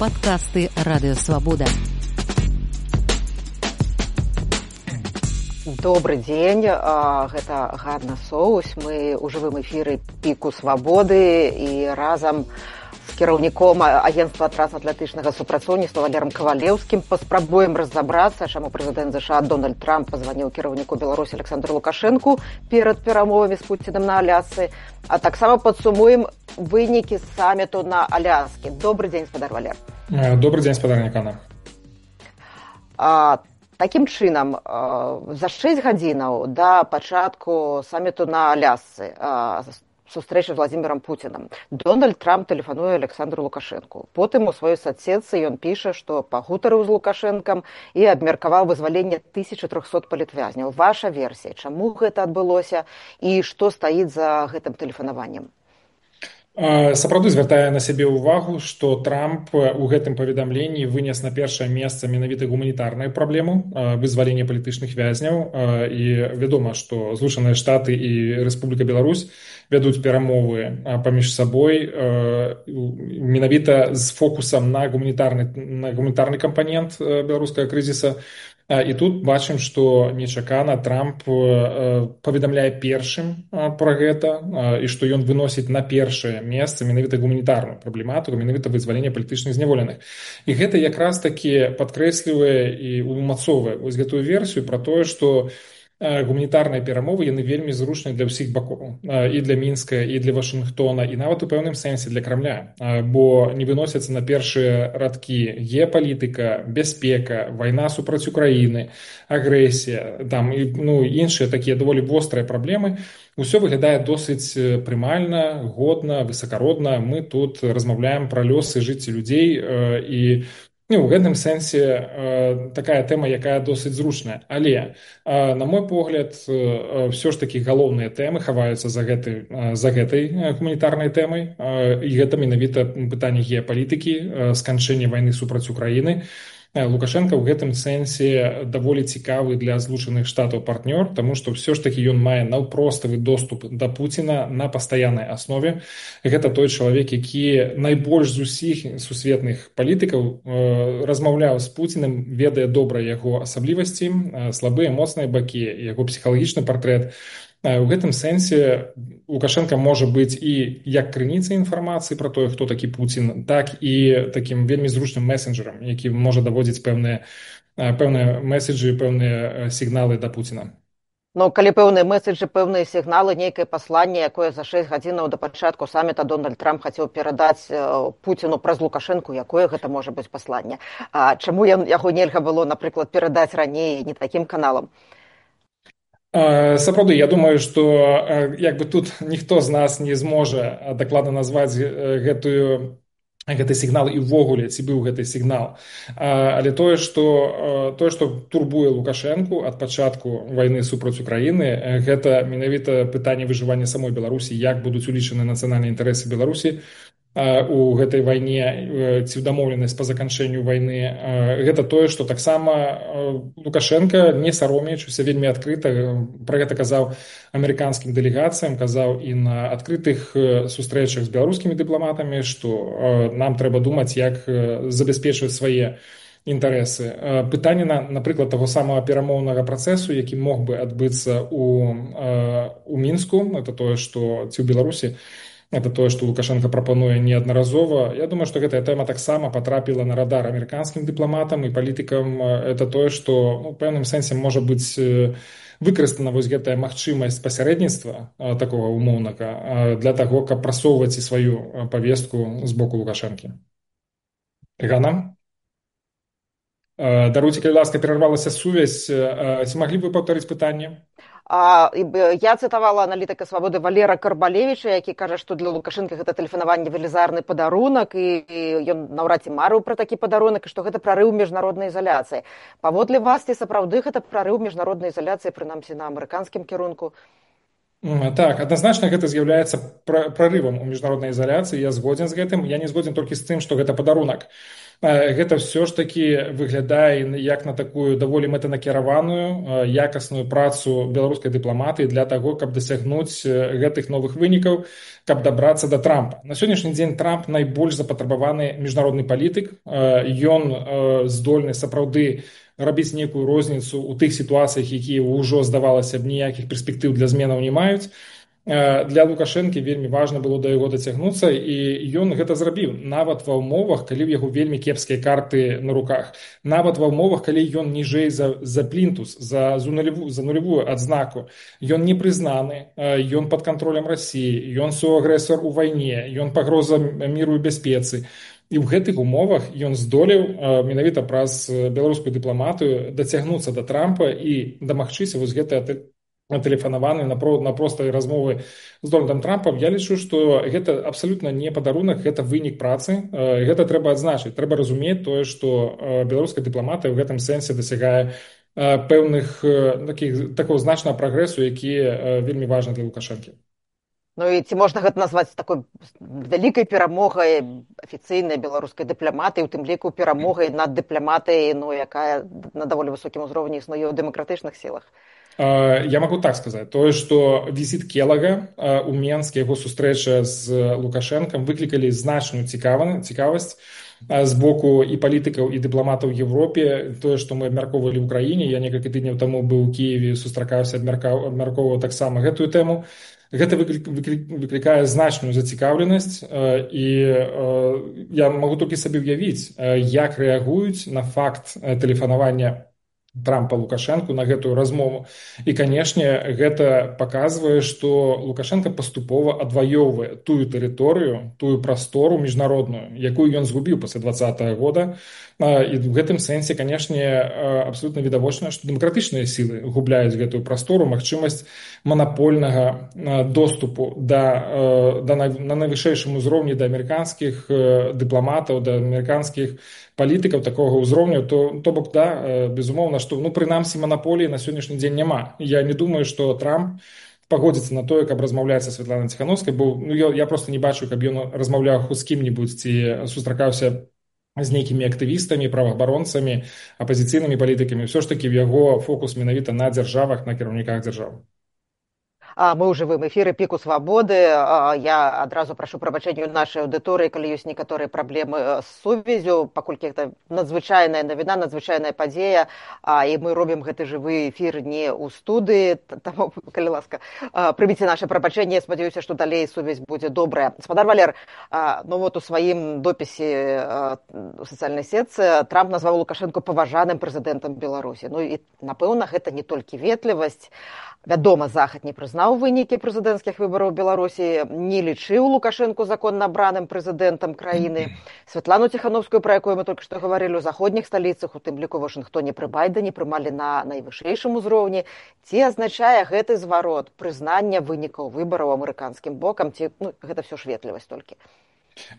Падкасты радыёвабода. Добры дзень, гэта Ганна Соус. Мы ў жывым эфіры Піку Свабоды і разам з кіраўніком агенцтва трансатлантычнага супрацоўніцтва Валерам Кавалеўскім паспрабуем разабрацца, чаму прэзідэнт ЗША Дональд Трамп пазваніў кіраўніку Беларусі Александру Лукашэнку перад перамовамі з Пуцінам на Алясцы, а таксама падсумуем вынікі саміту на Аляскі. Добры дзень, спадар Валер. Добрый день, спадарня Ганна. Такім чынам, за 6 гадзінаў да пачатку саміту на Алясцы, сустрэчы з Владзімірам Пуцінам, Дональд Трамп тэлефануе Александру Лукашэнку. Потым у сваёй садсетцы ён піша, што пагутарыў з Лукашэнкам і абмеркаваў вызваленне 1300 палітвязняў. Ваша версія, чаму гэта адбылося і што стаіць за гэтым тэлефанаваннем? Сапраўды звяртае на сябе ўвагу, што Трамп у гэтым паведамленні вынес на першае месца менавіта гуманітарную праблему вызвалення палітычных вязняў. І вядома, што Злучаныя Штаты і Рэспубліка Беларусь вядуць перамовы паміж сабой менавіта з фокусам на гуманітарны кампанент беларускага крызіса. І тут бачым, што нечакана Трамп паведамляе першым пра гэта, і што ён выносіць на першае месца менавіта гуманітарную праблематыку, менавіта вызвалення палітычных зняволеных. І гэта якраз такі падкрэслівае і умацоўвае вось гэтую версію пра тое, што гуманітарныя перамовы яны вельмі зручныя для ўсіх бакоў, і для Мінска, і для Вашынгтона, і нават у пэўным сэнсе для Крамля, бо не выносяцца на першыя радкі геапалітыка, бяспека, вайна супраць Украіны, агрэсія, там і іншыя такія даволі вострыя праблемы. Усё выглядае досыць прымальна, годна, высакародна. Мы тут размаўляем пра лёсы жыцці людзей, і у гэтым сэнсе такая тэма, якая досыць зручная. Але, на мой погляд, ўсё ж такі галоўныя тэмы хаваюцца за гэтай гуманітарнай тэмай. І гэта менавіта пытанне геапалітыкі, сканчэння вайны супраць Украіны. Лукашенко ў гэтым сэнсе даволі цікавы для Злучаных Штатаў партнёр, таму што ўсё ж такі ён мае наўпроставы доступ да Пуціна на пастаяннай аснове. Гэта той чалавек, які найбольш з усіх сусветных палітыкаў размаўляў з Пуцінам, ведае добра яго асаблівасці, слабыя, моцныя бакі, яго псіхалагічны партрэт. У гэтым сэнсе Лукашенко можа быць і як крыніцай інфармацыі пра тое, хто такі Пуцін, так і такім вельмі зручным месенджерам, які можа даводзіць пэўныя меседжы, пэўныя сігналы да Пуціна. Калі пэўныя меседжы, пэўныя сігналы, нейкае пасланне, якое за 6 гадзінаў да пачатку саміта Дональд Трамп хацеў перадаць Пуціну праз Лукашэнку, якое гэта можа быць пасланне? Чаму яго нельга было, напрыклад, перадаць раней не такім каналам? Сапраўды, я думаю, што тут ніхто з нас не зможа дакладна назваць гэты сігнал і ўвогуле, ці быў гэты сігнал. Але тое, што турбуе Лукашэнку ад пачатку вайны супраць Украіны, гэта менавіта пытанне выжывання самой Беларусі, як будуць улічаны нацыянальныя інтарэсы Беларусі у гэтай вайне, ці дамоўленасць па заканчэнню вайны. Гэта тое, што таксама Лукашенко, не саромеючыся, вельмі адкрыта пра гэта казаў амерыканскім дэлегацыям, казаў і на адкрытых сустрэчах з беларускімі дыпламатамі, што нам трэба думаць, як забяспечваць свае інтарэсы. Пытанне, напрыклад, таго самага перамоўнага працэсу, які мог бы адбыцца у Мінску, это тое, што ці ў Беларусі, это тое, што Лукашенко прапануе неаднаразова. Я думаю, што гэтая тэма таксама патрапіла на радар амерыканскім дыпламатам і палітыкам. Это тое, што у пэўным сэнсе можа быць выкарыстана вось гэтая магчымасць пасярэдніцтва такога умоўнага для таго, каб прасоўваць і сваю павестку з боку Лукашэнкі. Ганна? Даруйце, калі ласка, перарвалася сувязь. Ці маглі б вы паўтарыць пытанне? Я цытавала аналітыка Свабоды Валера Карбалевіча, які кажа, што для Лукашэнка гэта тэлефанаванне велізарны падарунак, і ён наўрад ці марыў пра такі падарунак, і што гэта прарыў міжнароднай ізаляцыі. Паводле вас, ці сапраўды гэта прарыў міжнароднай ізаляцыі, прынамсі на амерыканскім кірунку? Так, адназначна гэта з'яўляецца прарывам у міжнароднай ізаляцыі. Я згодзен з гэтым. Я не згодзен толькі з тым, што гэта падарунак. гэта ўсё ж такі выглядае як на такую даволі мэтанакіраваную якасную працу беларускай дыпламатыі для таго, каб дасягнуць гэтых новых вынікаў, каб дабрацца да Трампа. На сённяшні дзень Трамп найбольш запатрабаваны міжнародны палітык. Ён здольны сапраўды рабіць нейкую розніцу ў тых сітуацыях, якія ўжо, здавалася б, ніякіх перспектыў для зменаў не маюць. Для Лукашэнкі вельмі важна было да яго дацягнуцца, і ён гэта зрабіў нават ва ўмовах, калі ў яго вельмі кепскія карты на руках, нават ва ўмовах, калі ён ніжэй за плінтус, за нулевую адзнаку. Ён не прызнаны, ён пад кантролем Расіі, ён суагрэсар у вайне, ён пагроза міру і бяспецы. І ў гэтых умовах ён здолеў менавіта праз беларускую дыпламатыю дацягнуцца да Трампа і дамагчыся вось гэтае тэлефанаваны на простай размовы з Дональдам Трампам. Я лічу, што гэта абсалютна не падарунак, гэта вынік працы. Гэта трэба адзначыць. Трэба разумець тое, што беларуская дыпламатыя ў гэтым сэнсе дасягае пэўных такого значнага прагрэсу, які вельмі важны для Лукашэнкі. Ну і ці можна гэта назваць такой вялікай перамогай афіцыйнай беларускай дыпламатыі, у тым ліку перамогай над дыпламатыяй, якая на даволі высокім узроўні існуе ў дэмакратычных сілах? Я могу так сказаць, тое, што візіт Келага ў Менске, яго сустрэча з Лукашэнкам выклікалі значную цікавасць з боку і палітыкаў, і дыпламатаў у Европе. Тое, што мы абмяркоўвалі ў краіне, я некалькі тыдняў таму быў у Кіеве, сустракаўся, абмяркоўваў таксама гэтую тэму. Гэта выклікае значную зацікаўленасць, і я магу толькі сабе ўявіць, як рэагуюць на факт тэлефанавання Трампа Лукашэнку на гэтую размову. І, канешне, гэта паказвае, што Лукашэнка паступова адваёўвае тую тэрыторыю, тую прастору міжнародную, якую ён згубіў пасля 2020 года. І в гэтым сэнсе, канешне, абсолютна відавочна, што дэмакратычныя сілы губляюць гэтую прастору, магчымасць манапольнага доступу на найвышэйшым узроўні да амерыканскіх дыпламатаў, да амерыканскіх палітыкаў такога ўзроўню, то бок, да, безумоўна, што, прынамсі, манаполіі на сённяшні дзень няма. Я не думаю, што Трамп пагодзіцца на тое, каб размаўляць са Святланай Ціхановскай, бо я проста не бачу, каб ён размаўляў з кім-небудзь ці сустракаўся з нейкімі актывістамі, праваабаронцамі, апазіцыйнымі палітыкамі. Ўсё ж такі в яго фокус менавіта на дзяржавах, на кіраўніках дзяржаў. Мы ў жывым эфіры піку свабоды. Я адразу прашу прабачэння ў нашай аўдыторыі, калі ёсць некаторыя праблемы з сувяззю, паколькі гэта надзвычайная навіна, надзвычайная падзея, і мы робім гэты жывы эфір не ў студыі, таму, калі ласка, прыміце наша прабачэнне, спадзяюся, што далей сувязь будзе добрая. Спадар Валер, у сваім допісе у сацыяльнай сетцы Трамп назваў Лукашэнку паважаным прэзідэнтам Беларусі. І, напэўна, гэта не толькі ветлівасць. Вядома, Захад не прызнаў вынікі прэзідэнцкіх выбараў Беларусі, не лічыў Лукашэнку законна абраным прэзідэнтам краіны. Святлану Ціхановскую, пра якую мы толькі што гаварылі, у заходніх сталіцах, у тым ліку Вашынгтоне пры Байдане, прымалі на найвышэйшым узроўні. Ці азначае гэты зварот прызнання вынікаў выбараў амерыканскім бокам, ці гэта ўсё ж ветлівасць толькі?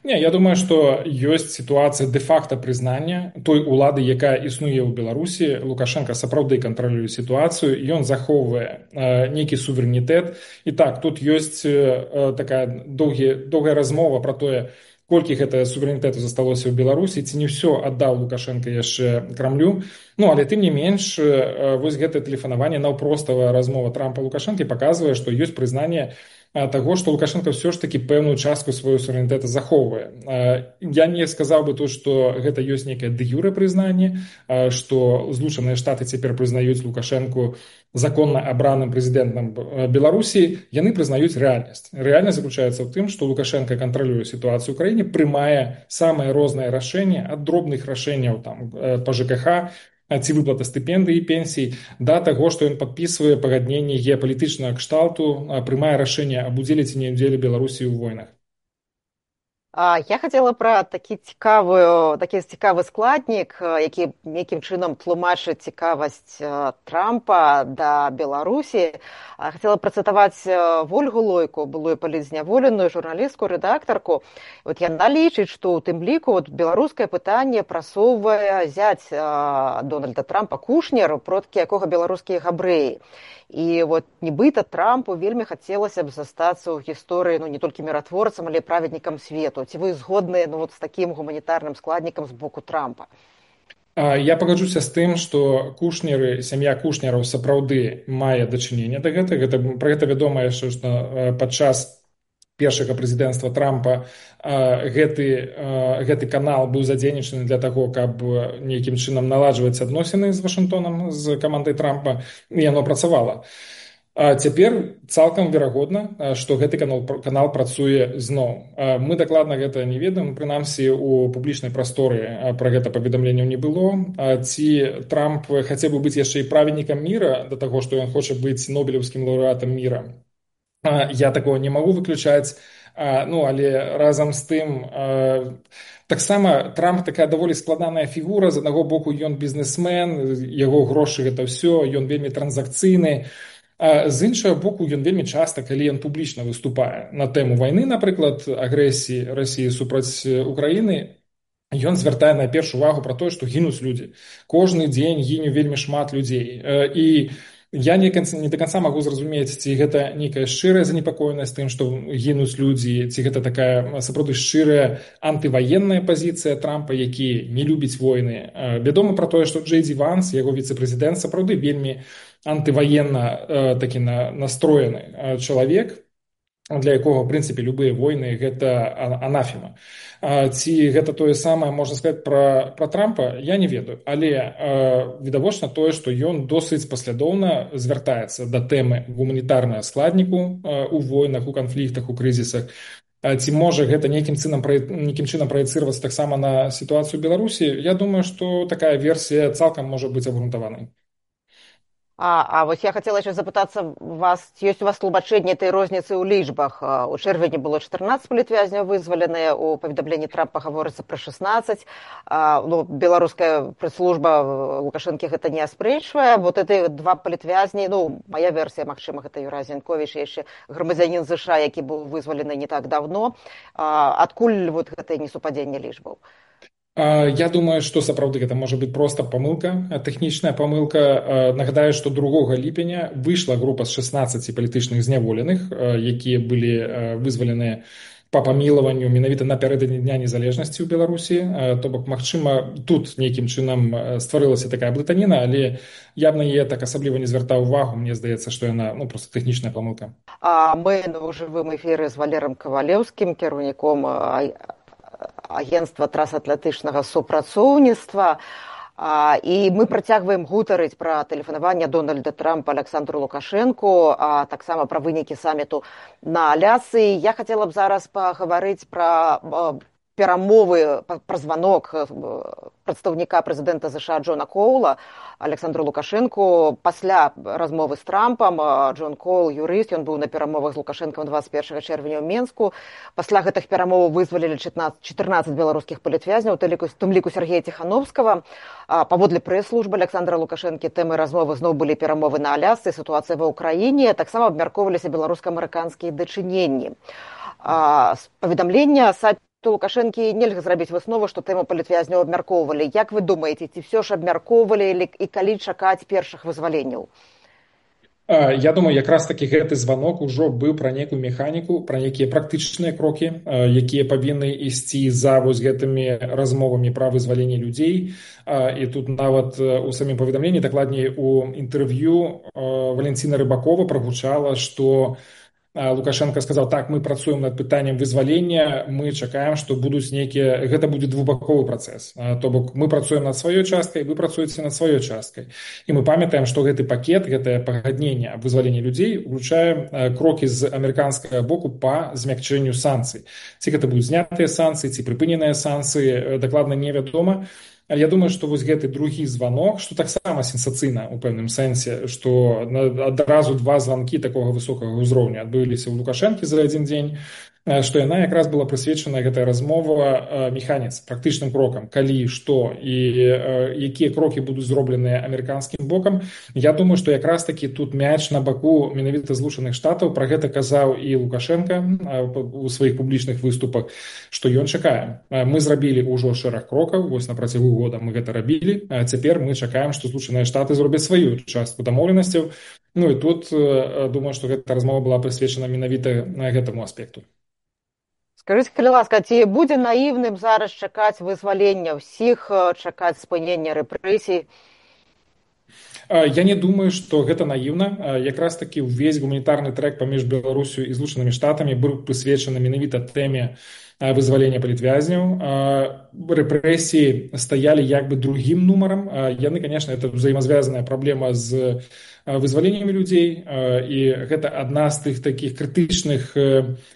Не, я думаю, што ёсць сітуацыя дэ-факта прызнання той улады, якая існуе ў Беларусі. Лукашенко сапраўды кантралюе сітуацыю, ён захоўвае нейкі суверэнітэт. І так, тут ёсць такая доўгая размова пра тое, колькі гэтага суверэнітэту засталося ў Беларусі, ці не ўсё аддаў Лукашенко яшчэ Крамлю. Але тым не менш, вось гэтае тэлефанаванне, наўпроставая размова Трампа Лукашэнкі паказвае, што ёсць прызнанне таго, што Лукашенко ўсё ж такі пэўную частку свайго суверэнітэта захоўвае. Я не сказаў бы тут, што гэта ёсць нейкае дэ-юрэ прызнанне, што Злучаныя Штаты цяпер прызнаюць Лукашэнку законна абраным прэзідэнтам Беларусі. Яны прызнаюць рэальнасць. Рэальнасць заключаецца ў тым, што Лукашенко кантралюе сітуацыю ў краіне, прымае самыя розныя рашэнні, ад дробных рашэнняў па ЖКХ, ці выплата стыпендыі і пенсій, да таго, што ён падпісвае пагадненні геапалітычнага кшталту, прымае рашэнне аб удзеле ці не ўдзеле Беларусі ў войнах. Я хацела пра такі цікавы складнік, які нейкім чынам тлумачыць цікавасць Трампа да Беларусі. Хацела працытаваць Вольгу Лойку, былую палітзняволеную журналістку, рэдактарку. Яна лічыць, што ў тым ліку беларускае пытанне прасоўвае зяць Дональда Трампа Кушнер, продкі якога беларускія габрэі. І нібыта Трампу вельмі хацелася б застацца ў гісторыі не толькі міратворцам, але і праведнікам свету. сусвету. Ці вы згодныя з такім гуманітарным складнікам з боку Трампа? Я пагаджуся з тым, што кушнеры, сям'я кушнераў сапраўды мае дачыненне да гэтага. Пра гэта вядома яшчэ, што падчас першага прэзідэнцтва Трампа гэты канал быў задзейнічаны для таго, каб нейкім чынам наладжваць адносіны з Вашынгтонам, з камандай Трампа, і яно працавала. Цяпер цалкам верагодна, што гэты канал працуе зноў. Мы дакладна гэта не ведаем, прынамсі у публічнай прасторы пра гэта паведамленняў не было. Ці Трамп хацеў бы быць яшчэ і праведнікам міра, да таго, што ён хоча быць нобелеўскім лаўрэатам міра. Я такого не магу выключаць, але разам з тым таксама Трамп такая даволі складаная фігура. З аднаго боку ён бізнесмен, яго грошы гэта ўсё, ён вельмі транзакцыйны. З іншага боку, ён вельмі часта, калі ён публічна выступае на тэму вайны, напрыклад, агрэсіі Расіі супраць Украіны, ён звяртае найперш увагу пра тое, што гінуць людзі. Кожны дзень гіне вельмі шмат людзей. І я не да канца магу зразумець, ці гэта нейкая шчырая занепакоенасць тым, што гінуць людзі, ці гэта такая сапраўды шчырая антываенная пазіцыя Трампа, які не любіць войны. Вядома пра тое, што Джей Ді Ванс, яго віцэ-прэзідэнт, сапраўды вельмі антываенна такі настроены чалавек, для якога, в прынцыпе, любыя войны – гэта анафема. Ці гэта тое самае, можна сказаць, пра Трампа, я не ведаю. Але відавочна тое, што ён досыць паслядоўна звяртаецца да тэмы гуманітарнага складніку у войнах, у канфліктах, у крызісах. Ці можа гэта нейкім чынам праецыравацца таксама на сітуацыю ў Беларусі? Я думаю, што такая версія цалкам можа быць абгрунтаванай. Вось я хацела яшчэ запытацца вас, ці ёсць у вас тлумачэнне этой розніцы ў лічбах? У чэрвені было 14 палітвязняў вызваленыя, у паведамленні Трампа гаворыцца пра 16. Беларуская прэс-служба Лукашэнкі гэта не аспрэчвае. Вот эти два палітвязні, моя версія, магчыма, гэта Юрай Зянковіч, яшчэ грамадзянін ЗША, які быў вызвалены не так давно. Адкуль вот гэтае несупадзенне лічбаў? Я думаю, што сапраўды гэта можа быць проста памылка, тэхнічная памылка. Нагадаю, што 2 ліпеня выйшла група з 16 палітычных зняволеных, якія былі вызваленыя па памілаванню менавіта напярэдадні Дня незалежнасці ў Беларусі. То бок, магчыма, тут нейкім чынам стварылася такая блытаніна, але я б на яе так асабліва не звяртаў увагу. Мне здаецца, што яна проста тэхнічная памылка. Мы ў жывым эфіры з Валерам Кавалеўскім, кіраўніком агентства трансатлантычнага супрацоўніцтва, і мы працягваем гутарыць пра тэлефанаванне Дональда Трампа Александру Лукашэнку, а таксама пра вынікі саміту на Алясцы. Я хацела б зараз пагаварыць пра перамовы, пра званок прадстаўніка прэзідэнта ЗША Джона Коула Александру Лукашэнку пасля размовы з Трампам. Джон Коул, юрыст, ён быў на перамовах з Лукашэнкам 21 чэрвеня ў Менску. Пасля гэтых перамоваў вызвалілі 14 беларускіх палітвязняў, у тым ліку Сергея Ціхановскага. Паводле прэс-службы Александра Лукашэнкі тэмай размовы зноў былі перамовы на Алясцы, сітуацыя ва ўкраіне, таксама абмяркоўваліся беларуска-амерыканскія дачыненні. З паведамлення Лукашэнкі нельга зрабіць выснову, што тэму палітвязняў абмяркоўвалі. Як вы думаеце, ці ўсё ж абмяркоўвалі і калі чакаць першых вызваленняў? Я думаю, якраз такі гэты званок ужо быў пра нейкую механіку, пра нейкія практычныя крокі, якія павінны ісці за вось гэтымі размовамі пра вызваленне людзей. І тут нават у самім паведамленні, дакладней у інтэрв'ю Валенціна Рыбакова прагучала, што Лукашенко сказал: так, мы працуем над пытаннем вызвалення, мы чакаем, што будуць нейкія, гэта будзе двухбаковы працэс. То бок мы працуем над сваёй часткай, вы працуеце над сваёй часткай. І мы памятаем, што гэты пакет, гэтае пагадненне аб вызваленні людзей уключае крокі з амерыканскага боку па змякчэнню санкцый. Ці гэта будуць знятыя санкцыі, ці прыпыненыя санкцыі, дакладна невядома. Я думаю, што вось гэты другі званок, што таксама сенсацыйна ў пэўным сэнсе, што адразу 2 званкі такога высокага ўзроўня адбыліся ў Лукашэнкі за адзін дзень, што яна якраз была прысвечана, гэтая размова, механіцы, практычным крокам, калі, што і якія крокі будуць зробленыя амерыканскім бокам. Я думаю, што якраз такі тут мяч на баку менавіта Злучаных Штатаў. Пра гэта казаў і Лукашенка у сваіх публічных выступах, што ён чакае. Мы зрабілі ўжо шэраг крокаў, вось на працягу года мы гэта рабілі, а цяпер мы чакаем, што Злучаныя Штаты зробяць сваю частку дамоўленасцяў. І тут думаю, што гэта размова была прысвечана менавіта гэтаму аспекту. Скажыце, калі ласка, ці будзе наіўным зараз чакаць вызвалення ўсіх, чакаць спынення рэпрэсій? Я не думаю, што гэта наіўна. Якраз такі ўвесь гуманітарны трэк паміж Беларусю і Злучанымі Штатамі быў прысвечаны менавіта тэме вызвалення палітвязняў. Рэпрэсіі стаялі як бы другім нумарам. Яны, конечно, это взаимозвязаная праблема з вызваленнямі людзей, і гэта адна з тых такіх крытычных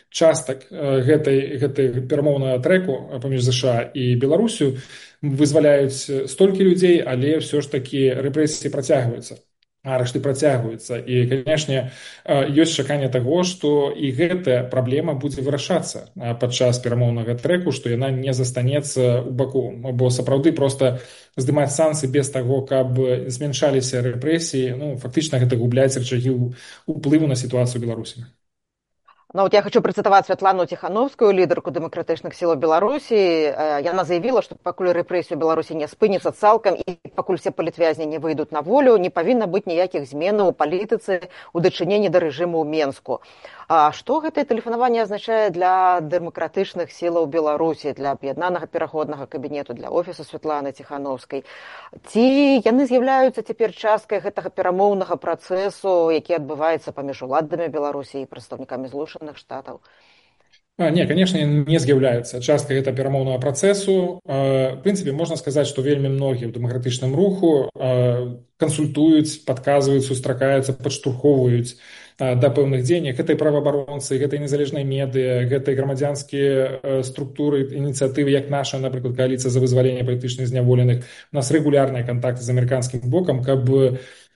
частак гэтай перамоўнага трэку паміж ЗША і Беларусю. Вызваляюць столькі людзей, але ўсё ж такі рэпрэсіі працягваюцца, арышты працягваюцца. І, канешне, ёсць чаканне таго, што і гэтая праблема будзе вырашацца падчас перамоўнага трэку, што яна не застанецца ў баку. Бо сапраўды проста здымаць санкцыі без таго, каб змяншаліся рэпрэсіі, фактычна гэта губляць рычагі ўплыву на сітуацыю ў Беларусі. Ну, вот я хочу процитовать Святлану Тихановскую, лидерку демократичных сил Беларуси. Яна заявила, что покуль рэпрэсію Беларусі не спыніцца цалкам і пакуль все палітвязні не выйдуць на волю, не павінна быць ніякіх зменаў у палітыцы ў дачыненні да рэжыму ў Менску. А што гэтае тэлефанаванне азначае для дэмакратычных сілаў Беларусі, для аб'яднанага пераходнага кабінету, для офісу Святланы Тихановскай? Ці яны з'яўляюцца цяпер часткай гэтага перамоўнага працэсу, які адбываецца паміж уладамі Беларусі і прадстаўнікамі Злучаных Штатаў? Не, конечно, не з'яўляюцца часткай гэтага перамоўнага працэсу. В прынцыпе, можна сказаць, што вельмі многія ў дэмакратычным руху кансультуюць, падказваюць, сустракаюцца, падштурхоўваюць да пэўных дзеянняў. Гэта і праваабаронцы, гэта і незалежныя медыа, гэта і грамадзянскія структуры, ініцыятывы, як наша, напрыклад, кааліцыя за вызваленне палітычных зняволеных. У нас рэгулярныя кантакты з амерыканскім бокам, каб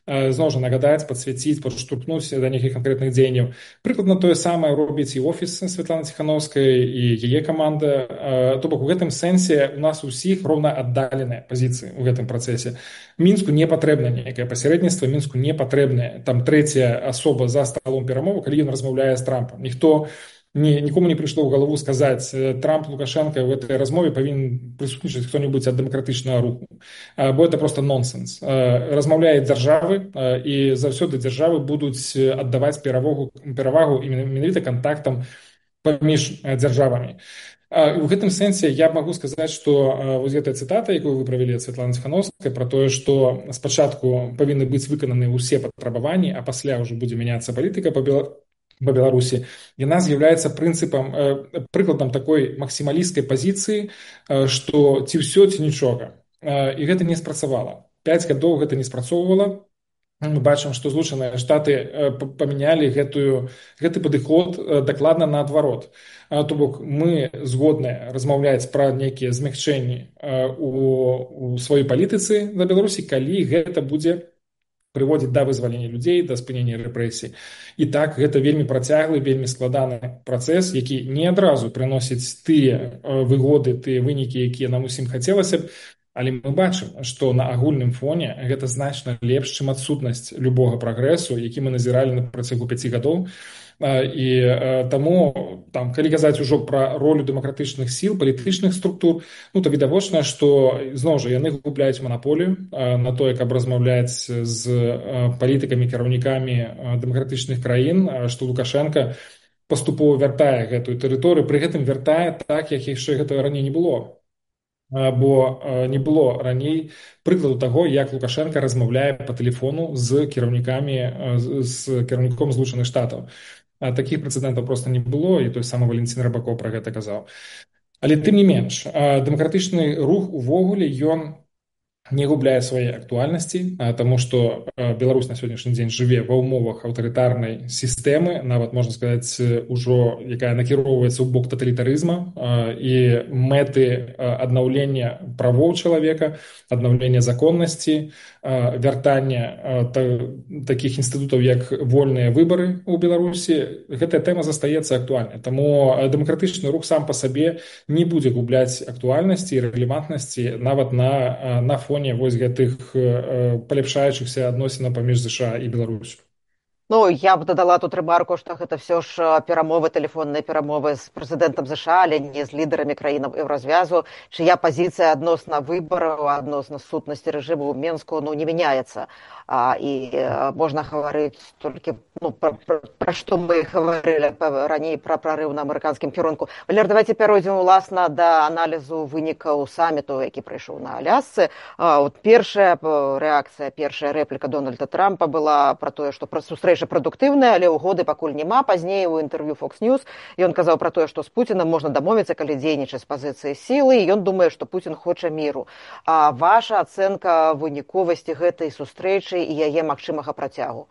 зноў жа нагадаць, падсвяціць, падштурхнуць да нейкіх канкрэтных дзеянняў. Прыкладна тое самае робіць і офіс Святланы Тихановскай, і яе каманда. То бок у гэтым сэнсе у нас усіх роўна аддаленыя пазіцыі ў гэтым працэсе. Мінску не патрэбна нейкае пасярэдніцтва, Мінску не патрэбная там трэцяя асоба за сталом перамовы, калі ён размаўляе з Трампам. Нікому не прыйшло ў галаву сказаць, Трамп, Лукашенко в этой размове павінен прысутнічаць хто-небудзь ад дэмакратычнага руху. Бо это просто нонсенс. Размаўляюць дзяржавы, і заўсёды дзяржавы будуць аддаваць перавагу менавіта кантактам паміж дзяржавамі. У гэтым сэнсе я магу сказаць, што вось гэтая цытата, якую вы правялі ад Святланы Тихановскай, пра тое, што спачатку павінны быць выкананы ўсе патрабаванні, а пасля ўжо будзе мяняцца палітыка па Беларусі, яна з'яўляецца прыкладам такой максімалісцкай пазіцыі, што ці ўсё, ці нічога. І гэта не спрацавала. 5 гадоў гэта не спрацоўвала. Мы бачым, што Злучаныя Штаты памянялі гэты падыход дакладна наадварот. То бок мы згодныя размаўляць пра нейкія змягчэнні у сваёй палітыцы на Беларусі, калі гэта будзе прыводзіць да вызвалення людзей, да спынення рэпрэсій. І так, гэта вельмі працяглы, вельмі складаны працэс, які не адразу прыносіць тыя выгоды, тыя вынікі, якія нам усім хацелася б, але мы бачым, што на агульным фоне гэта значна лепш, чым адсутнасць любога прагрэсу, які мы назіралі на працягу 5 гадоў. І таму, калі казаць ужо пра ролю дэмакратычных сіл, палітычных структур, то відавочна, што зноў жа яны губляюць манаполію на тое, каб размаўляць з палітыкамі, кіраўнікамі дэмакратычных краін, што Лукашенко паступова вяртае гэтую тэрыторыю, пры гэтым вяртае так, як яшчэ гэтага раней не было. Бо не было раней прыкладу таго, як Лукашенко размаўляе па тэлефону з кіраўніком Злучаных Штатаў. Такіх прэцэдэнтаў проста не было, і той самы Валентин Рыбакоў пра гэта казаў. Але тым не менш, дэмакратычны рух увогуле, ён не губляе свае актуальнасці, таму што Беларусь на сённяшні дзень жыве ва ўмовах аўтарытарнай сістэмы, нават можна сказаць, ужо якая накіроўваецца ў бок таталітарызма, і мэты аднаўлення правоў чалавека, аднаўлення законнасці, вяртання такіх інстытутаў, як вольныя выбары ў Беларусі, гэтая тэма застаецца актуальнай. Таму дэмакратычны рух сам па сабе не будзе губляць актуальнасці і рэлевантнасці нават на фоне вось гэтых паляпшаючыхся адносінаў паміж ЗША і Беларусю. Ну, я б дадала тут ремарку, што гэта все ж перамовы, тэлефонныя перамовы з прэзідэнтам ЗША, але не з лідарамі краін Еўразвязу, чыя пазіцыя адносна выбараў, адносна сутнасці рэжыму ў Менску, ну, не мяняецца. Можна гаварыць толькі, ну, пра што мы гаварылі раней, пра прарыў на амерыканскім кірунку. Валер, давайте пяройдзем, уласна, да аналізу вынікаў саміту, які прайшоў на Алясцы. Першая рэакцыя, першая рэпліка Дональда Трампа была пра тое, што сустрэча прадуктыўная, але ўгоды пакуль няма. Пазней у інтэрв'ю Fox News ён казаў пра тое, што з Пуцінам можна дамовіцца, калі дзейнічаць з пазіцыі сілы, і ён думае, што Пуцін хоча міру. А ваша ацэнка выніковасці гэтай сустрэчы і яе магчымага працягу?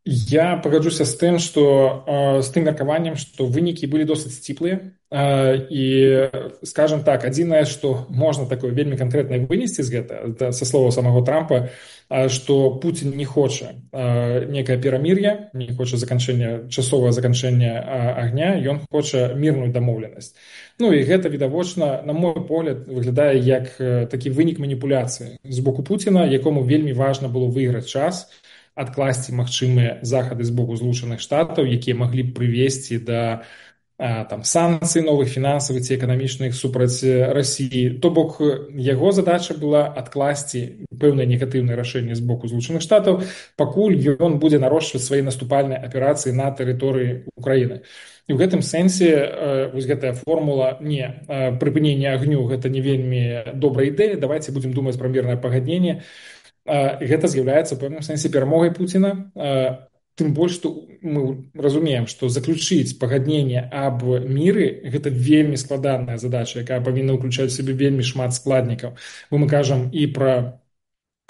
Я пагаджуся з тым, што з тым меркаваннем, што вынікі былі досыць сціплыя. І, скажем так, адзінае, што можна такое вельмі канкрэтна вынесці з гэта, са слова самого Трампа, што Пуцін не хоча некае перамір'е, не хоча часовае заканчэння агня, ён хоча мірную дамоўленасць. Ну і гэта, відавочна, на мой погляд, выглядае як такі вынік маніпуляцыі з боку Пуціна, якому вельмі важна было выйграць час, адкласці магчымыя захады з боку Злучаных Штатаў, якія маглі б прывесці да санкцый новых фінансавых ці эканамічных супраць Расіі. То бок яго задача была адкласці пэўныя негатыўныя рашэнні з боку Злучаных Штатаў, пакуль ён будзе нарошчваць свае наступальныя аперацыі на тэрыторыі Украіны. І ў гэтым сэнсе вось гэтая формула не прыпынення агню, гэта не вельмі добрая ідэя, давайте будзем думаць пра мірнае пагадненне. Гэта з'яўляецца ў пэўным сэнсе перамогай Пуціна, тым больш, што мы разумеем, што заключыць пагадненне аб міры – гэта вельмі складаная задача, якая павінна ўключаць у сябе вельмі шмат складнікаў. Бо мы кажам і пра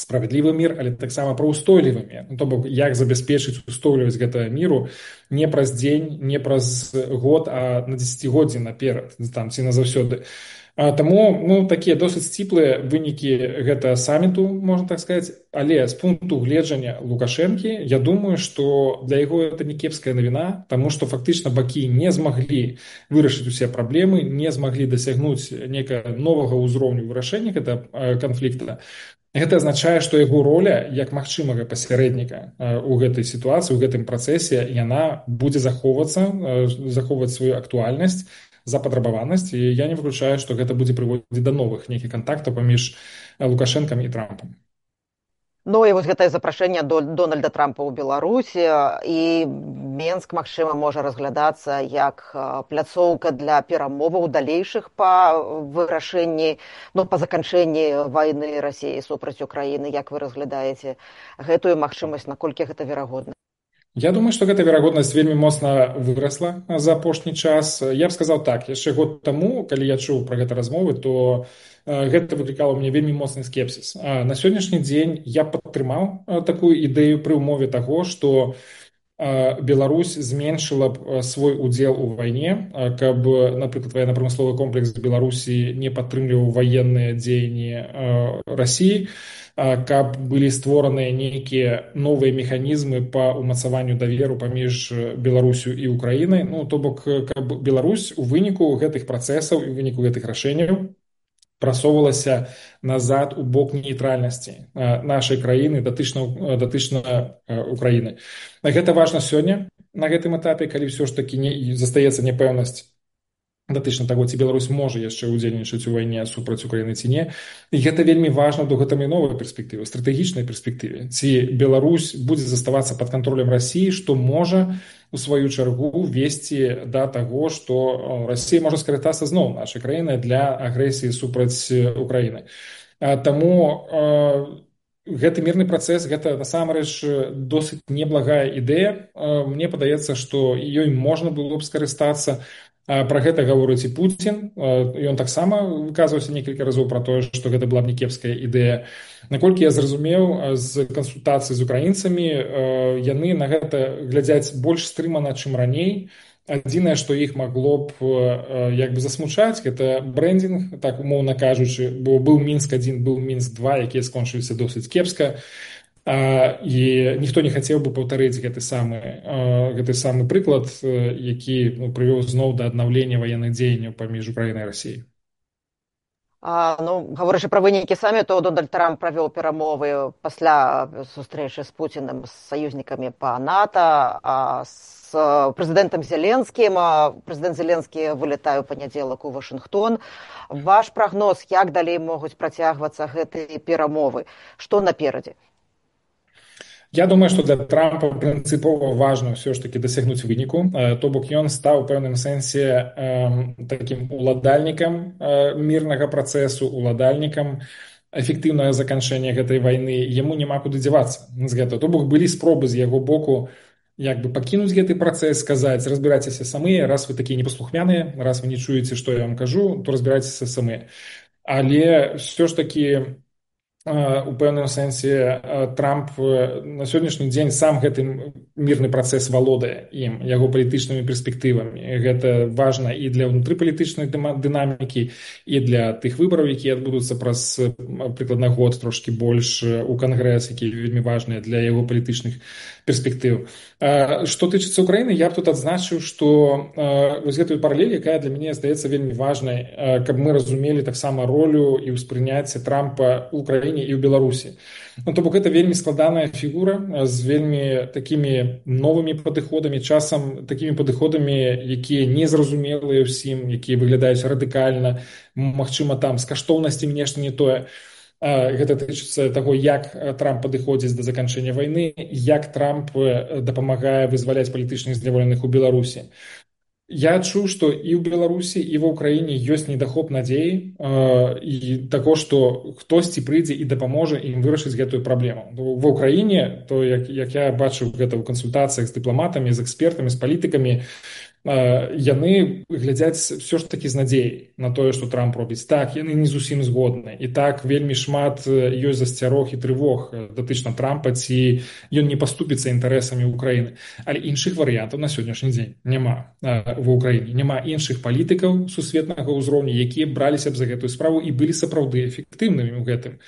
справядлівы мір, але таксама пра ўстойлівы мір. То бок, як забяспечыць устойлівасць гэтага міру не праз дзень, не праз год, а на дзесяцігоддзі наперад, ці назаўсёды. Таму такія досыць сціплыя вынікі гэта саміту, можна так сказаць, але з пункту гледжання Лукашэнкі, я думаю, што для яго гэта не кепская навіна, таму што фактычна бакі не змаглі вырашыць усе праблемы, не змаглі дасягнуць некага новага ўзроўню вырашэння гэтага канфлікта. Гэта азначае, што яго роля як магчымага пасярэдніка ў гэтай сітуацыі, у гэтым працэсе, яна будзе захоўваць сваю актуальнасць, запатрабаванасць, і я не выключаю, што гэта будзе прыводзіць да новых нейкіх кантактаў паміж Лукашэнкам і Трампам. Ну і вось гэтае запрашэнне Дональда Трампа ў Беларусі, і Менск, магчыма, можа разглядацца як пляцоўка для перамоваў далейшых па вырашэнні, па заканчэнні вайны Расіі супраць Украіны. Як вы разглядаеце гэтую магчымасць, наколькі гэта верагодна? Я думаю, што гэта верагоднасць вельмі моцна вырасла за апошні час. Я б сказаў так, яшчэ год таму, калі я чуў пра гэта размовы, то гэта выклікала ў мяне вельмі моцны скепсіс. На сённяшні дзень я падтрымаў такую ідэю пры ўмове таго, што Беларусь зменшыла б свой удзел у вайне, каб, напрыклад, военно-прамысловы комплекс Беларусі не падтрымліваў ваенныя дзеянні Расіі, каб былі створаныя нейкія новыя механізмы па ўмацаванню даверу паміж Беларусю і Украінай. То бок, каб Беларусь у выніку гэтых працэсаў і у выніку гэтых рашэнняў прасоўвалася назад у бок нейтральнасці нашай краіны датычна Украіны. Гэта важна сёння на гэтым этапе, калі ўсё ж такі застаецца няпэўнасць датычна таго, ці Беларусь можа яшчэ ўдзельнічаць у вайне супраць Украіны ці не. І гэта вельмі важна ў доўгатэрміновай перспектыве, стратэгічнай перспектыве. Ці Беларусь будзе заставацца пад кантролем Расіі, што можа у сваю чаргу весці да таго, што Расія можа скарыстацца зноў нашай краінай для агрэсіі супраць Украіны. Таму гэты мірны працэс, гэта насамрэч досыць неблагая ідэя. Мне падаецца, што ёй можна было б скарыстацца. Пра гэта гаворыць і Пуцін. Ён таксама выказваўся некалькі разоў пра тое, што гэта была б не кепская ідэя. Наколькі я зразумеў з кансультацый з украінцамі, яны на гэта глядзяць больш стрымана, чым раней. Адзінае, што іх магло б засмучаць, гэта брэндинг, так умоўна кажучы, бо быў Мінск-1, быў Мінск-2, якія скончыліся досыць кепска. І ніхто не хацеў бы паўтарыць гэты самы прыклад, які прывёў зноў да аднаўлення ваенных дзеянняў паміж Украінай і Расіяй. Гаворачы пра вынікі саміту, Дональд Трамп правёў перамовы пасля сустрэчы з Пуціним, з саюзнікамі па НАТО, з прэзідэнтам Зеленскім. Прэзідэнт Зеленскі вылетае ў панядзелак у Вашынгтон. Ваш прагноз, як далей могуць працягвацца гэтыя перамовы? Што наперадзе? Я думаю, што для Трампа прынцыпова важна ўсё ж такі дасягнуць выніку, то бок ён стаў у пэўным сэнсе такім уладальнікам мірнага працэсу, уладальнікам эфектыўнага заканчэння гэтай вайны. Яму няма куды дзявацца з гэтага. То бок былі спробы з яго боку як бы пакінуць гэты працэс, сказаць, разбірайцеся самыя, раз вы такія непаслухмяныя, раз вы не чуеце, што я вам кажу, то разбірайцеся самыя. Але ўсё ж такі у пэўным сэнсе Трамп на сённяшні дзень сам гэты мірны працэс валодае ім, яго палітычнымі перспектывамі. Гэта важна і для ўнутрыпалітычнай дынамікі, і для тых выбараў, якія адбудуцца праз прыкладна год, трошкі больш у Кангрэс, які вельмі важныя для яго палітычных перспектыў. Што тычыцца Украіны, я б тут адзначыў, што вось гэтую паралель, якая для мяне здаецца вельмі важнай, каб мы разумелі таксама ролю і ўспрыняцце Трампа ў Украіне і ў Беларусі. То бок гэта вельмі складаная фігура з вельмі такімі новымі падыходамі, часам такімі падыходамі, якія незразумелыя ўсім, якія выглядаюць радыкальна, магчыма, там з каштоўнасцямі нешта не тое. Гэта тычыцца таго, як Трамп падыходзіць да заканчэння вайны, як Трамп дапамагае вызваляць палітычных зняволеных у Беларусі. Я адчуў, што і ў Беларусі, і ва ўкраіне ёсць недахоп надзеі і таго, што хтосьці прыйдзе і дапаможа ім вырашыць гэтую праблему. Ва ўкраіне, то як я бачыў гэта ў кансультацыях з дыпламатамі, з экспертамі, з палітыкамі, яны глядзяць все ж такі з надзеяй на тое, што Трамп робіць. Так, яны не зусім згодны. І так вельмі шмат ёсць засцярог і трывог датычна Трампа, ці ён не паступіцца інтарэсамі Украіны. Але іншых варыянтаў на сённяшні дзень няма ва ўкраіне. Няма іншых палітыкаў сусветнага ўзроўню, якія браліся б за гэтую справу і былі сапраўды эфектыўнымі ў гэтым.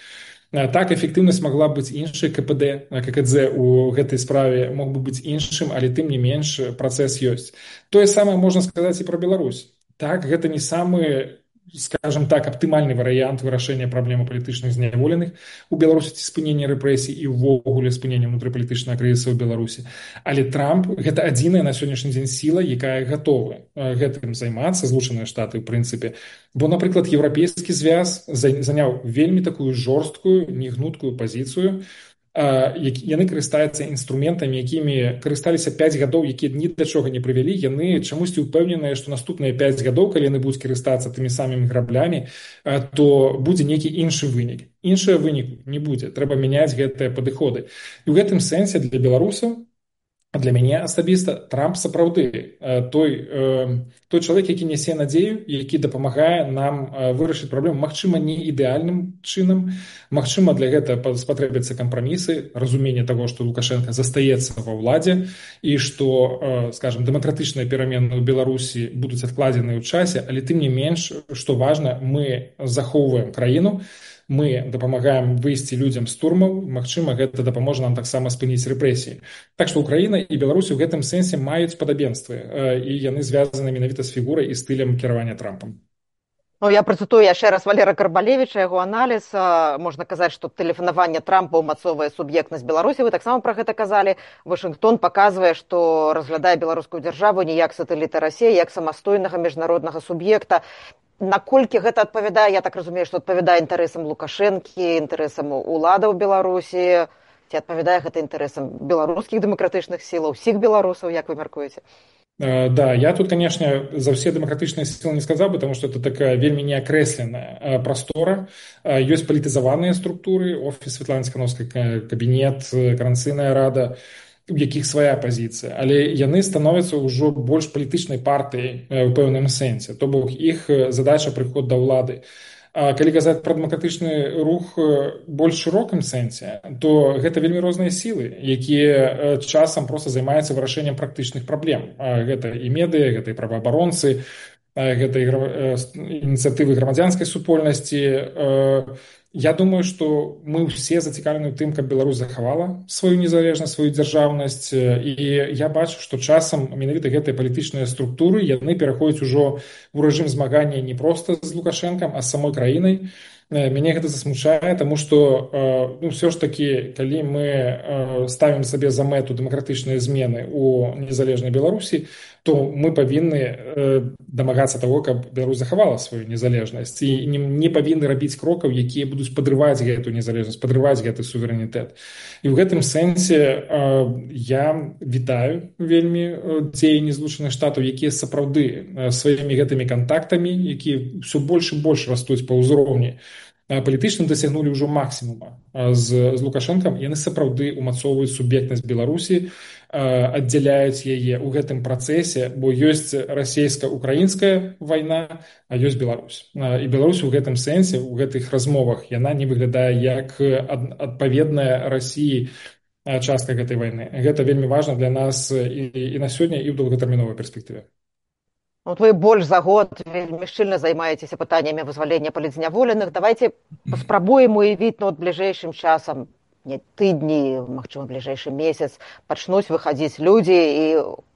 Так, эфектыўнасць магла быць іншай, ККД у гэтай справе мог бы быць іншым, але тым не менш працэс ёсць. Тое самае можна сказаць і пра Беларусь. Так, гэта не самы, скажем так, аптымальны варыянт вырашэння праблемы палітычных зняволеных у Беларусі, ці спынення рэпрэсій і ўвогуле спынення ўнутрыпалітычнага крызісу ў Беларусі. Але Трамп – гэта адзіная на сённяшні дзень сіла, якая гатова гэтым займацца, Злучаныя Штаты, ў прынцыпе. Бо, напрыклад, Еўрапейскі звяз заняў вельмі такую жорсткую, негнуткую пазіцыю. Яны карыстаюцца інструментамі, якімі карысталіся 5 гадоў, якія ні да чога не прывялі. Яны чамусьці ўпэўненыя, што наступныя 5 гадоў, калі яны будуць карыстацца тымі самымі граблямі, то будзе нейкі іншы вынік. Іншага выніку не будзе. Трэба мяняць гэтыя падыходы. І ў гэтым сэнсе для беларусаў, для мяне асабіста, Трамп сапраўды той чалавек, які нясе надзею, які дапамагае нам вырашыць праблему, магчыма, не ідэальным чынам, магчыма, для гэтага спатрэбяцца кампрамісы, разуменне таго, што Лукашенко застаецца ва ўладзе і што, скажем, дэмакратычныя перамены ў Беларусі будуць адкладзеныя ў часе, але тым не менш, што важна, мы захоўваем краіну, мы дапамагаем выйсці людзям з турмаў, магчыма, гэта дапаможа нам таксама спыніць рэпрэсіі. Так што Украіна і Беларусь у гэтым сэнсе маюць падабенствы, і яны звязаны менавіта з фігурай і стылем кіравання Трампам. Я працытую яшчэ раз Валера Карбалевіча, яго аналіз. Можна казаць, што тэлефанаванне Трампа ўмацоўвае суб'ектнасць Беларусі. Вы таксама пра гэта казалі. Вашынгтон паказвае, што разглядае беларускую дзяржаву не як сатэліта Расіі, як самастойнага міжнароднага суб'екта. Наколькі гэта адпавядае, я так разумею, што адпавядае інтарэсам Лукашэнкі, інтарэсам уладаў Беларусі, ці адпавядае гэта інтарэсам беларускіх дэмакратычных сілаў, усіх беларусаў, як вы мяркуеце? Да, я тут, конечно, за все демократичные силы не сказал, потому что это такая вельмі неокресленная простора. Есть политизованные структуры, офис Светланы Цихановской, кабинет, Координацыйная рада, у якіх свая пазіцыя, але яны становяцца ўжо больш палітычнай партыяй у пэўным сэнсе, то бок іх задача прыход да ўлады. Калі казаць пра дэмакратычны рух больш шырокім сэнсе, то гэта вельмі розныя сілы, якія часам проста займаюцца вырашэннем практычных праблем. Гэта і медыа, гэта і праваабаронцы, гэта ініцыятывы грамадзянскай супольнасці, Я думаю, што мы ўсе зацікаўлены ў тым, каб Беларусь захавала сваю незалежнасць, сваю дзяржаўнасць, і я бачу, што часам менавіта гэтыя палітычныя структуры яны пераходзяць ужо ў рэжым змагання не проста з Лукашэнкам, а з самой краінай. Мяне гэта засмучае, таму што ну, ўсё ж такі, калі мы ставім сабе за мэту дэмакратычныя змены ў незалежнай Беларусі, то мы павінны дамагацца таго, каб Беларусь захавала сваю незалежнасць і не павінны рабіць крокаў, якія будуць падрываць гэтую незалежнасць, падрываць гэты суверэнітэт. І ў гэтым сэнсе я вітаю вельмі дзеянні Злучаных Штатаў, якія сапраўды сваімі гэтымі кантактамі, якія ўсё больш і больш растуць па ўзроўні, палітычна дасягнулі ўжо максімума з Лукашэнкам, яны сапраўды ўмацоўваюць суб'ектнасць Беларусі, аддзяляюць яе ў гэтым працэсе, бо ёсць расійска-украінская вайна, а ёсць Беларусь. І Беларусь у гэтым сэнсе, у гэтых размовах, яна не выглядае як адпаведная Расіі частка гэтай вайны. Гэта вельмі важна для нас і на сёння, і ў доўгатэрміновай перспектыве. Вот вы больш за год вельмі шчыльна займаецеся пытаннямі вызвалення палітзняволеных. Давайте паспрабуем уявіць, ну, от бліжэйшым часам, не тыдні, магчыма, бліжэйшы месяц, пачнуць выхадзіць людзі, і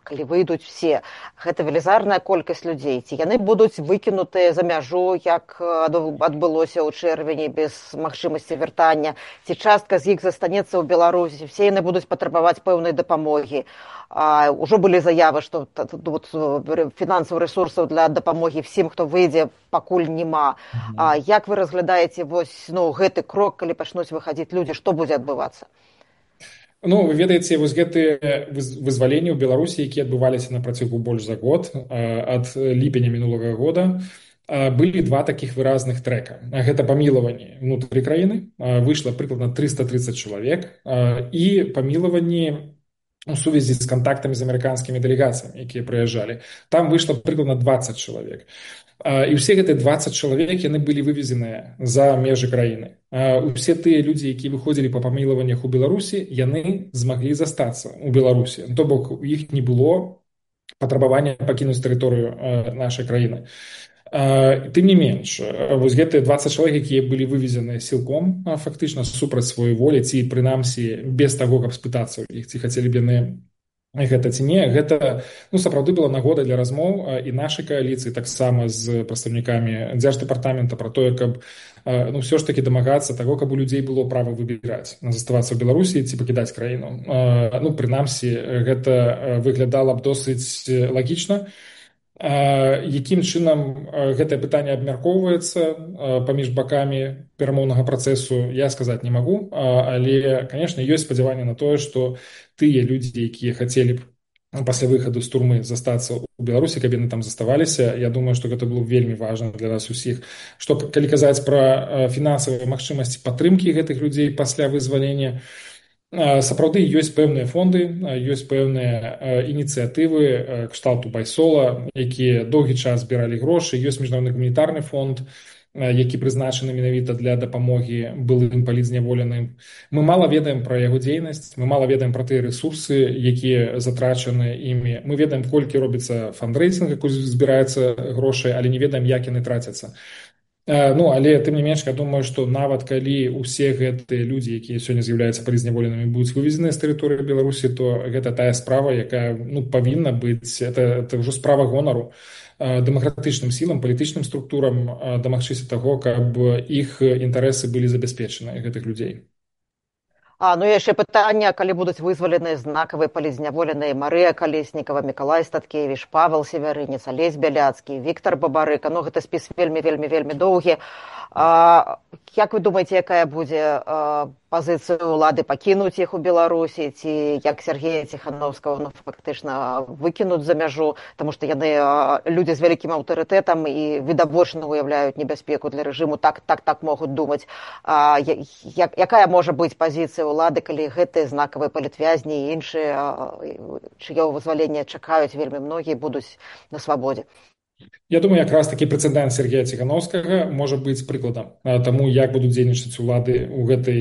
калі выйдуць все, гэта велізарная колькасць людзей. Ці яны будуць выкінутыя за мяжу, як адбылося ў чэрвені, без магчымасці вяртання, ці частка з іх застанецца ў Беларусі, все яны будуць патрабаваць пэўнай дапамогі. Ужо былі заявы, што фінансавых рэсурсаў для дапамогі всім, хто выйдзе, пакуль няма. Як вы разглядаеце вось, ну, гэты крок, калі пачнуць выхадзіць людзі, што будзе адбывацца? Ну, вы ведаеце, вось гэтыя вызваленні ў Беларусі, якія адбываліся на працягу больш за год, ад ліпеня мінулага года, былі два такіх выразных трэка. Гэта памілаванні ўнутры краіны, выйшла прыкладна 330 чалавек, і памілаванні у сувязі з кантактамі з амерыканскімі дэлегацыямі, якія прыязджалі. Там выйшла прыкладна 20 чалавек. І ўсе гэтыя 20 чалавек, яны былі вывезеныя за межы краіны. Усе тыя людзі, якія выходзілі па памілаваннях у Беларусі, яны змаглі застацца ў Беларусі. То бок, у іх не было патрабавання пакінуць тэрыторыю нашай краіны. Тым не менш, вось гэтыя 20 чалавек, якія былі вывезеныя сілком, фактычна супраць сваёй волі, ці прынамсі без таго, каб спытацца ў іх, ці хацелі б яны гэта ці не, гэта, ну, сапраўды была нагода для размоў і нашай кааліцыі, таксама з прадстаўнікамі дзярждэпартамента пра тое, каб, ну, ўсё ж такі дамагацца таго, каб у людзей было права выбіраць, заставацца ў Беларусі ці пакідаць краіну. Ну, прынамсі, гэта выглядала б досыць лагічна. Якім чынам гэтае пытанне абмяркоўваецца паміж бакамі перамоўнага працэсу, я сказаць не магу, але, канешне, ёсць спадзяванне на тое, што тыя людзі, якія хацелі б пасля выхаду з турмы застацца ў Беларусі, каб яны там заставаліся, я думаю, што гэта было вельмі важна для нас усіх. Што, калі казаць пра фінансавыя магчымасці падтрымкі гэтых людзей пасля вызвалення, сапраўды ёсць пэўныя фонды, ёсць пэўныя ініцыятывы кшталту Байсола, якія доўгі час збіралі грошы, ёсць міжнародны гуманітарны фонд, які прызначаны менавіта для дапамогі былым палітзняволеным. Мы мала ведаем пра яго дзейнасць, мы мала ведаем пра тыя рэсурсы, якія затрачаны імі. Мы ведаем, колькі робіцца фандрэйсінг, колькі збіраецца грошай, але не ведаем, як яны трацяцца. Ну, але тым не менш, я думаю, што нават калі ўсе гэтыя людзі, якія сёння з'яўляюцца палітзняволенымі, будуць вывезеныя з тэрыторыі Беларусі, то гэта тая справа, якая, ну, павінна быць, это ўжо справа гонару дэмакратычным сілам, палітычным структурам дамагчыся таго, каб іх інтарэсы былі забяспечаны, гэтых людзей. Ну і яшчэ пытанне, калі будуць вызваленыя знакавыя палітзняволеныя Марыя Калеснікава, Мікалай Статкевіч, Павел Севярынец, Алесь Бяляцкі, Віктор Бабарыка. Ну, гэта спіс вельмі доўгі. Як вы думаеце, якая будзе пазіцыя ўлады пакінуць іх у Беларусі, ці як Сергея Ціхановскага, ну, фактычна выкінуць за мяжу, таму што яны людзі з вялікім аўтарытэтам і відавочна уяўляюць небяспеку для рэжыму, так могуць думаць. Якая можа быць пазіцыя ўлады, калі гэтыя знакавыя палітвязні і іншыя, чыё вызвалення чакаюць вельмі многія, будуць на свабодзе? Я думаю, якраз такі прэцэдэнт Сергея Ціхановскага можа быць прыкладам таму, як будуць дзейнічаць улады ў гэтай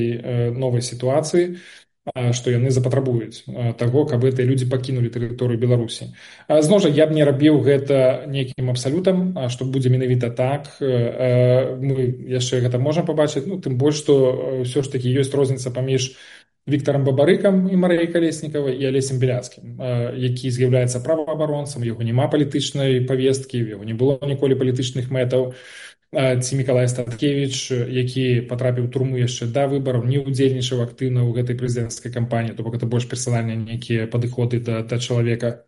новай сітуацыі. што яны запатрабуюць таго, каб гэтыя людзі пакінулі тэрыторыю Беларусі. Зноў жа, я б не рабіў гэта нейкім абсалютам, што будзе менавіта так. Мы яшчэ гэта можам пабачыць, тым больш, што ўсё ж такі ёсць розніца паміж Віктарам Бабарыкам і Марыяй Калеснікавай і Алесем Беляцкім, які з'яўляецца праваабаронцам, яго няма палітычнай павесткі, яго не было ніколі палітычных мэтаў, ці Мікалай Статкевіч, які патрапіў у турму яшчэ да выбараў, не ўдзельнічаў актыўна ў гэтай прэзідэнцкай кампаніі, то бок гэта больш персанальныя нейкія падыходы да чалавека.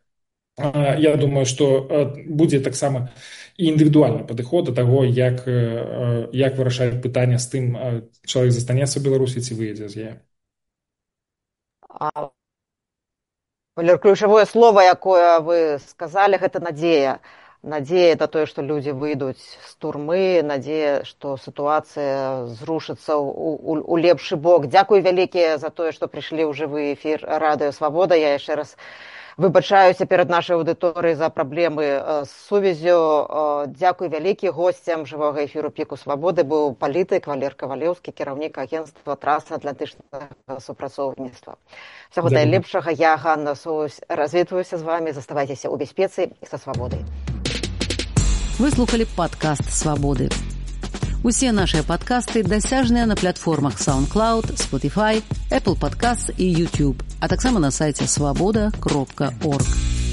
Я думаю, што будзе таксама і індывідуальны падыход да таго, як вырашаць пытанне з тым, чалавек застанецца ў Беларусі ці выедзе з яе. Валер, ключавое слово, якое вы сказалі, гэта надзея. Надзея на тое, што людзі выйдуць з турмы, надзея, што сітуацыя зрушыцца ў лепшы бок. Дзякуй вялікія за тое, што прыйшлі ў жывы эфір Радыё Свабода. Я яшчэ раз выбачаюся перад нашай аўдыторыяй за праблемы з сувяззю. Дзякуй вялікі. Госцем жывога эфіру Піку Свабоды быў палітык Валер Кавалеўскі, кіраўнік агенцтва трансатлантычнага супрацоўніцтва. Всяго найлепшага. Я, Ганна Соусь, развітваюся з вамі. Заставайцеся ў бяспецы і са свабодай. Вы слухали падкаст «Свабоды». Усе нашыя падкасты дасяжныя на платформах SoundCloud, Spotify, Apple Podcasts і YouTube, а таксама на сайце swaboda.org.